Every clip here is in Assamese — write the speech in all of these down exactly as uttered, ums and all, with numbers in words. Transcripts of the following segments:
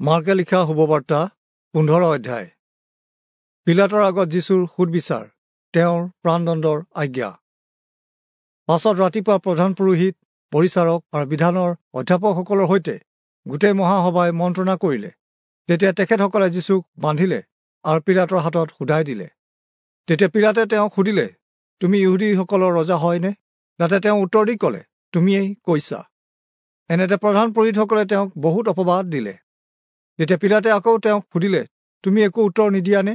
মাৰ্কে লিখা শুভবাৰ্তা পোন্ধৰ অধ্যায়। পিলাতৰ আগত যীশুৰ সুদবিচাৰ, তেওঁৰ প্ৰাণদণ্ডৰ আজ্ঞা। পাছত ৰাতিপুৱা প্ৰধান পুৰোহিত, পৰিচাৰক আৰু বিধানৰ অধ্যাপকসকলৰ সৈতে গোটেই মহাসভাই মন্ত্ৰণা কৰিলে। তেতিয়া তেখেতসকলে যীশুক বান্ধিলে আৰু পিলাতৰ হাতত সোধাই দিলে। তেতিয়া পিলাতে তেওঁক সুধিলে, তুমি ইহুদীসকলৰ ৰজা হয়নে? তাতে তেওঁ উত্তৰ দি ক'লে, তুমিয়েই কৈছা। এনেতে প্ৰধান পুৰোহিতসকলে তেওঁক বহুত অপবাদ দিলে। তেতিয়া পিলাতে আকৌ তেওঁক সুধিলে, তুমি একো উত্তৰ নিদিয়ানে?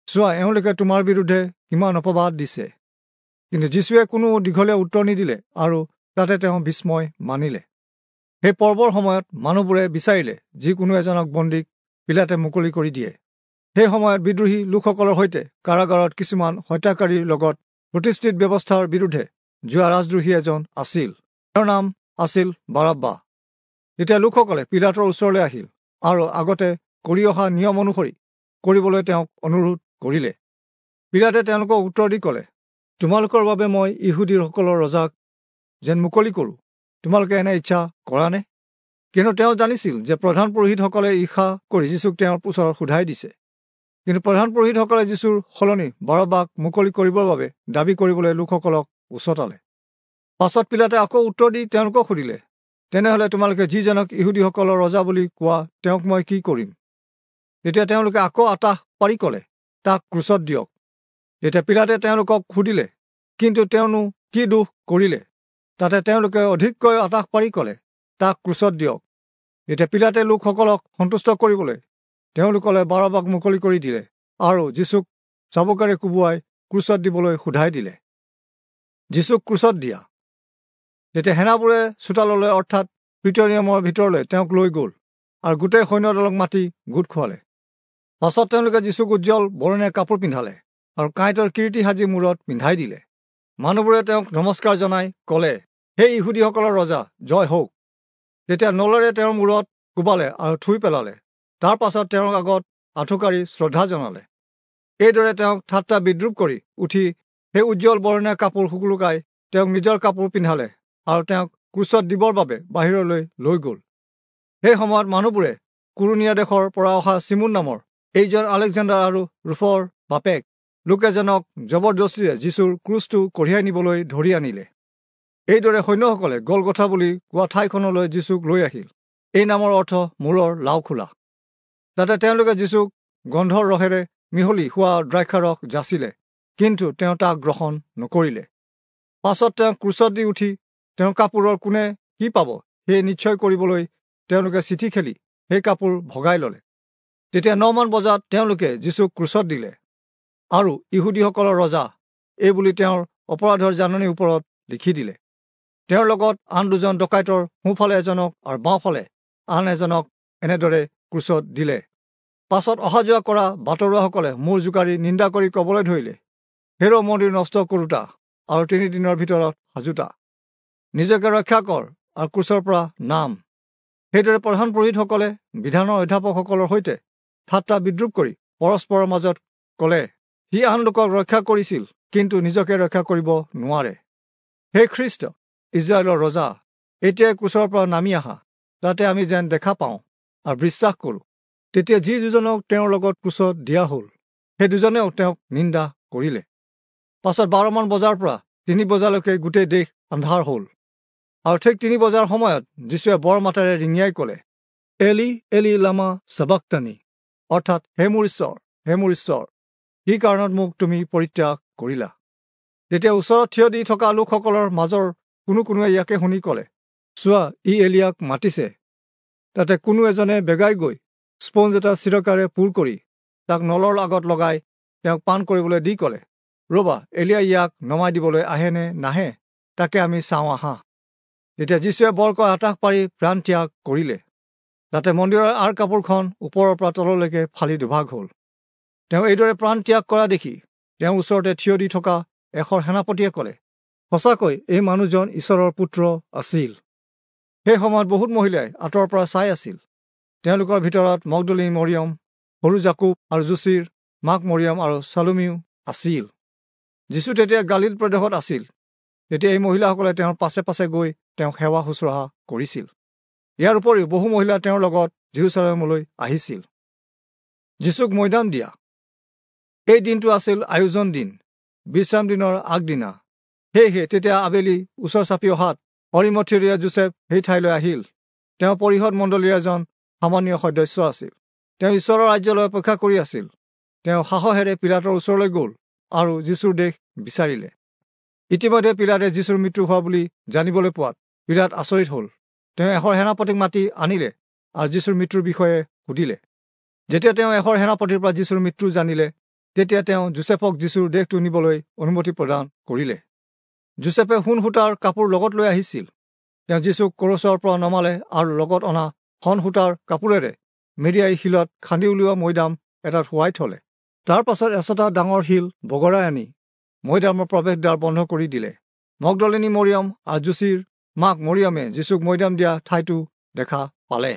চোৱা, এওঁলোকে তোমাৰ বিৰুদ্ধে কিমান অপবাদ দিছে। কিন্তু যীশুৱে কোনো দীঘলীয়া উত্তৰ নিদিলে আৰু তাতে তেওঁ বিস্ময় মানিলে। সেই পৰ্বৰ সময়ত মানুহবোৰে বিচাৰিলে যিকোনো এজনক বন্দীক পিলাতে মুকলি কৰি দিয়ে। সেই সময়ত বিদ্ৰোহী লোকসকলৰ সৈতে কাৰাগাৰত কিছুমান হত্যাকাৰীৰ লগত প্ৰতিষ্ঠিত ব্যৱস্থাৰ বিৰুদ্ধে যোৱা ৰাজদ্ৰোহী এজন আছিল। তেওঁৰ নাম আছিল বাৰাব্বা। তেতিয়া লোকসকলে পিলাতৰ ওচৰলৈ আহিল আৰু আগতে কৰি অহা নিয়ম অনুসৰি কৰিবলৈ তেওঁক অনুৰোধ কৰিলে। পিলাতে তেওঁলোকক উত্তৰ দি ক'লে, তোমালোকৰ বাবে মই ইহুদীসকলৰ ৰজাক যেন মুকলি কৰোঁ, তোমালোকে এনে ইচ্ছা কৰানে? কিন্তু তেওঁ জানিছিল যে প্ৰধান পুৰোহিতসকলে ঈৰ্ষা কৰি যীশুক তেওঁৰ ওচৰত সোধাই দিছে। কিন্তু প্ৰধান পুৰোহিতসকলে যীশুৰ সলনি বাৰব্বাক মুকলি কৰিবৰ বাবে দাবী কৰিবলৈ লোকসকলক উচতালে। পাছত পিলাতে আকৌ উত্তৰ দি তেওঁলোকক সুধিলে, তেনেহ'লে তোমালোকে যিজনক ইহুদীসকলৰ ৰজা বুলি কোৱা তেওঁক মই কি কৰিম? তেতিয়া তেওঁলোকে আকৌ আতাহ পাৰি ক'লে, তাক ক্ৰুচত দিয়ক। তেতিয়া পিলাতে তেওঁলোকক সুধিলে, কিন্তু তেওঁনো কি দোষ কৰিলে? তাতে তেওঁলোকে অধিককৈ আতাহ পাৰি ক'লে, তাক ক্ৰুচত দিয়ক। তেতিয়া পিলাতে লোকসকলক সন্তুষ্ট কৰিবলৈ তেওঁলোকলৈ বাৰব্বাক মুকলি কৰি দিলে আৰু যীশুক চাবুকেৰে কোবোৱাই ক্ৰুচত দিবলৈ সোধাই দিলে। যীশুক ক্ৰুচত দিয়া। তেতিয়া সেনাবোৰে চোতাললৈ অৰ্থাৎ প্ৰিটৰিয়ামৰ ভিতৰলৈ তেওঁক লৈ গ'ল আৰু গোটেই সৈন্যদলক মাতি গোট খুৱালে। পাছত তেওঁলোকে যীশুক উজ্জ্বল বৰণীয়া কাপোৰ পিন্ধালে আৰু কাঁইটৰ কিৰীটি সাজি মূৰত পিন্ধাই দিলে। মানুহবোৰে তেওঁক নমস্কাৰ জনাই ক'লে, সেই ইহুদীসকলৰ ৰজা জয় হওক। তেতিয়া নলেৰে তেওঁৰ মূৰত কোবালে আৰু থুই পেলালে। তাৰ পাছত তেওঁৰ আগত আঁঠুকাঢ়ি শ্ৰদ্ধা জনালে। এইদৰে তেওঁক ঠাট্টা বিদ্ৰূপ কৰি উঠি সেই উজ্জ্বল বৰণীয়া কাপোৰ শুকুলুকাই তেওঁক নিজৰ কাপোৰ পিন্ধালে আৰু তেওঁক ক্ৰুচত দিবৰ বাবে বাহিৰলৈ লৈ গ'ল। সেই সময়ত মানুহবোৰে কুৰণীয়া দেশৰ পৰা অহা চিমোন নামৰ এইজন আলেকজেণ্ডাৰ আৰু ৰূফৰ বাপেক লোক এজনক জবৰদস্তিৰে যীশুৰ ক্ৰুচটো কঢ়িয়াই নিবলৈ ধৰি আনিলে। এইদৰে সৈন্যসকলে গলগথা বুলি কোৱা ঠাইখনলৈ যীশুক লৈ আহিল। এই নামৰ অৰ্থ মূৰৰ লাওখোলা। তাতে তেওঁলোকে যীশুক গন্ধৰ ৰসেৰে মিহলি হোৱা দ্ৰাক্ষাৰস যাচিলে, কিন্তু তেওঁ তাক গ্ৰহণ নকৰিলে। পাছত তেওঁ ক্ৰুচত দি উঠি তেওঁৰ কাপোৰৰ কোনে কি পাব সেই নিশ্চয় কৰিবলৈ তেওঁলোকে চিঠি খেলি সেই কাপোৰ ভগাই ল'লে। তেতিয়া নমান বজাত তেওঁলোকে যীশুক ক্ৰুচত দিলে আৰু ইহুদীসকলৰ ৰজা এই বুলি তেওঁৰ অপৰাধৰ জাননীৰ ওপৰত লিখি দিলে। তেওঁৰ লগত আন দুজন ডকাইতৰ সোঁফালে এজনক আৰু বাওঁফালে আন এজনক এনেদৰে ক্ৰুচত দিলে। পাছত অহা যোৱা কৰা বাটৰুৱাসকলে মূৰ জোকাৰি নিন্দা কৰি ক'বলৈ ধৰিলে, হেৰ মন্দিৰ নষ্ট কৰোঁতা আৰু তিনিদিনৰ ভিতৰত সাজোতা, নিজকে ৰক্ষা কৰ আৰু ক্ৰুচৰ পৰা নাম। সেইদৰে প্ৰধান পুৰোহিতসকলে বিধানৰ অধ্যাপকসকলৰ সৈতে ঠাট্টা বিদ্ৰূপ কৰি পৰস্পৰৰ মাজত ক'লে, সি আন লোকক ৰক্ষা কৰিছিল, কিন্তু নিজকে ৰক্ষা কৰিব নোৱাৰে। হে খ্ৰীষ্ট, ইজৰাইলৰ ৰজা, এতিয়াই ক্ৰুচৰ পৰা নামি আহা, যাতে আমি যেন দেখা পাওঁ আৰু বিশ্বাস কৰোঁ। তেতিয়া যি দুজনক তেওঁৰ লগত ক্ৰুচত দিয়া হ'ল, সেই দুজনেও তেওঁক নিন্দা কৰিলে। পাছত বাৰমান বজাৰ পৰা তিনি বজালৈকে গোটেই দেশ আন্ধাৰ হ'ল। আৰু ঠিক তিনি বজাৰ সময়ত যীশুৱে বৰ মাতেৰে ৰিঙিয়াই ক'লে, এলি এলি লামা চাবাক্তানি, অৰ্থাৎ হে মোৰ ঈশ্বৰ, হে মোৰ ঈশ্বৰ, কি কাৰণত মোক তুমি পৰিত্যাগ কৰিলা? তেতিয়া ওচৰত থিয় দি থকা লোকসকলৰ মাজৰ কোনো কোনোৱে ইয়াকে শুনি ক'লে, চোৱা, ই এলিয়াক মাতিছে। তাতে কোনো এজনে বেগাই গৈ স্পঞ্জ এটা চিৰকাৰে পূৰ কৰি তাক নলৰ আগত লগাই তেওঁক পান কৰিবলৈ দি ক'লে, ৰ'বা, এলিয়াই ইয়াক নমাই দিবলৈ আহে নে নাহে তাকে আমি চাওঁ আহা। তেতিয়া যীশুৱে বৰকৈ আতাহ পাৰি প্ৰাণ ত্যাগ কৰিলে। তাতে মন্দিৰৰ আঁৰ কাপোৰখন ওপৰৰ পৰা তললৈকে ফালি দুভাগ হ'ল। তেওঁ এইদৰে প্ৰাণ ত্যাগ কৰা দেখি তেওঁৰ ওচৰতে থিয় দি থকা এশৰ সেনাপতিয়ে ক'লে, সঁচাকৈ এই মানুহজন ঈশ্বৰৰ পুত্ৰ আছিল। সেই সময়ত বহুত মহিলাই আঁতৰৰ পৰা চাই আছিল। তেওঁলোকৰ ভিতৰত মগদলী মৰিয়ম, সৰু জাকুব আৰু যোচিৰ মাক মৰিয়ম আৰু চালুমিও আছিল। যীশু তেতিয়া গালিল প্ৰদেশত আছিল। তেতিয়া এই মহিলাসকলে তেওঁৰ পাছে পাছে গৈ তেওঁক সেৱা শুশ্ৰূষা কৰিছিল। ইয়াৰ উপৰিও বহু মহিলা তেওঁৰ লগত যিৰূচালেমলৈ আহিছিল। যীচুক মৈদাম দিয়া। এই দিনটো আছিল আয়োজন দিন, বিশ্ৰাম দিনৰ আগদিনা। সেয়েহে তেতিয়া আবেলি ওচৰ চাপি অহাত অৰিমথিৰীয়া যোচেফ সেই ঠাইলৈ আহিল। তেওঁ পৰিষদ মণ্ডলীৰ এজন সামান্য সদস্য আছিল। তেওঁ ঈশ্বৰৰ ৰাজ্যলৈ অপেক্ষা কৰি আছিল। তেওঁ সাহসেৰে পীলাতৰ ওচৰলৈ গ'ল আৰু যীচুৰ দেশ বিচাৰিলে। ইতিমধ্যে পীলাতে যীচুৰ মৃত্যু হোৱা বুলি জানিবলৈ পোৱাত পীলাত আচৰিত হ'ল। তেওঁ এশৰ সেনাপতিক মাতি আনিলে আৰু যীচুৰ মৃত্যুৰ বিষয়ে সুধিলে। যেতিয়া তেওঁ এশৰ সেনাপতিৰ পৰা যীচুৰ মৃত্যু জানিলে, তেতিয়া তেওঁ যোচেফক যীচুৰ দেহটো নিবলৈ অনুমতি প্ৰদান কৰিলে। যোচেফে সোণ সূতাৰ কাপোৰ লগত লৈ আহিছিল। তেওঁ যীচুক ক্ৰুচৰ পৰা নমালে আৰু লগত অনা শণ সূতাৰ কাপোৰেৰে মেৰিয়াই শিলত খান্দি উলিওৱা মৈদাম এটাত শুৱাই থলে। তাৰ পাছত এচটা ডাঙৰ শিল বগৰাই আনি মৈদামৰ প্ৰৱেশদ্বাৰ বন্ধ কৰি দিলে। মগদলিনী মৰিয়ম আৰু যোচিৰ মাক মৰিয়মে যীচুক মৈদাম দিয়া ঠাইটো দেখা পালে।